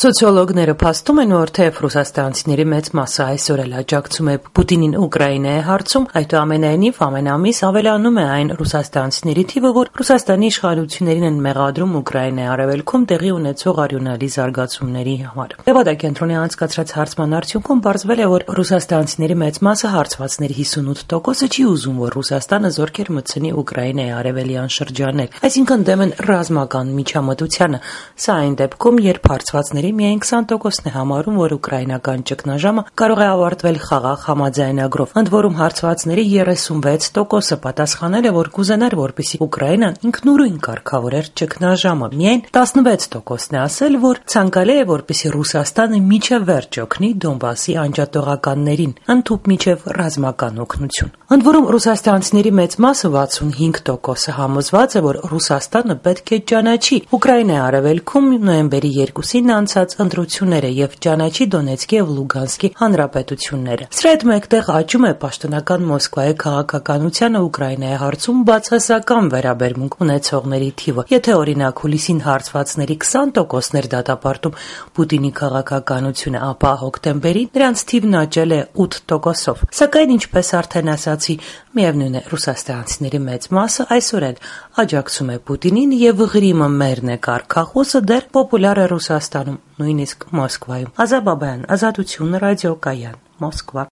Սոցիոլոգները փաստում են, որ թեև ռուսաստանցիների մեծ մասը այսօր էլ աջակցում է Պուտինին Ուկրաինայի հարցում, այդուամենայնիվ ամեն ամիս ավելանում է այն ռուսաստանցիների թիվը, որ Ռուսաստանի իշխանություններին են մեղադրում Ուկրաինայի արևելքում տեղի ունեցող արյունալի զարգացումների համար։ Լեվադա-կենտրոնի անցկացրած հարցման արդյունքում պարզվել է, որ ռուսաստանցիների մեծ մասը հարցվածների 58%-ը չի ուզում, որ Ռուսաստանը զորքեր մտցնի Ուկրաինայի արևելյան շրջաններ, այսինքն դեմ են ռազմական միջամտությանը։ Սա այն դեպքում, երբ հարցվածների միայն 20%-ն է համարում, որ ուկրաինական ճգնաժամը կարող է ավարտվել խաղաղ համաձայնագրով։ Ընդ որում հարցվածների 36%-ը պատասխանել է, որ կուզենար, որպեսզի Ուկրաինան ինքնուրույն կարգավորեր ճգնաժամը։ Միայն 16%-ն է ասել, որ ցանկալի է, որպեսզի Ռուսաստանը մինչև վերջ օգնի Դոնբասի անջատողականներին, ընդհուպ մինչև ռազմական օգնություն։ Ընդ որում ռուսաստանցիների մեծ մասը 65%-ը համոզված է, որ Ռուսաստանը պետք է ճանաչի Ուկրաինայի արևելքում նոյեմբերի 2-ին անցած ընտրությունները եւ ճանաչի Դոնեցկի եւ Լուգանսկի հանրապետությունները։ Սրա հետ մեկտեղ աճում է պաշտոնական Մոսկվայի քաղաքականությանը Ուկրաինայի հարցում բացասական վերաբերմունք ունեցողների թիվը։ Եթե օրինակ հուլիսին հարցվածների 20%-ն էր դատապարտում Պուտինի քաղաքականությունը, ապա հոկտեմբերին նրանց թիվն աճել է 8%-ով։ Սակայն ինչպես արդեն ասացի, միևնույն է, ռուսաստանցիների մեծ մասը այսօր էլ աջակցում է Պուտինին եւ Ղրիմը մերն է կարգախոսը դեռ պոպուլյար է Ռուսաստանում, նույնիսկ Մոսկվայում։ Ազա Բաբայան, Ազատություն, ռադիոկայան, Մոսկվա։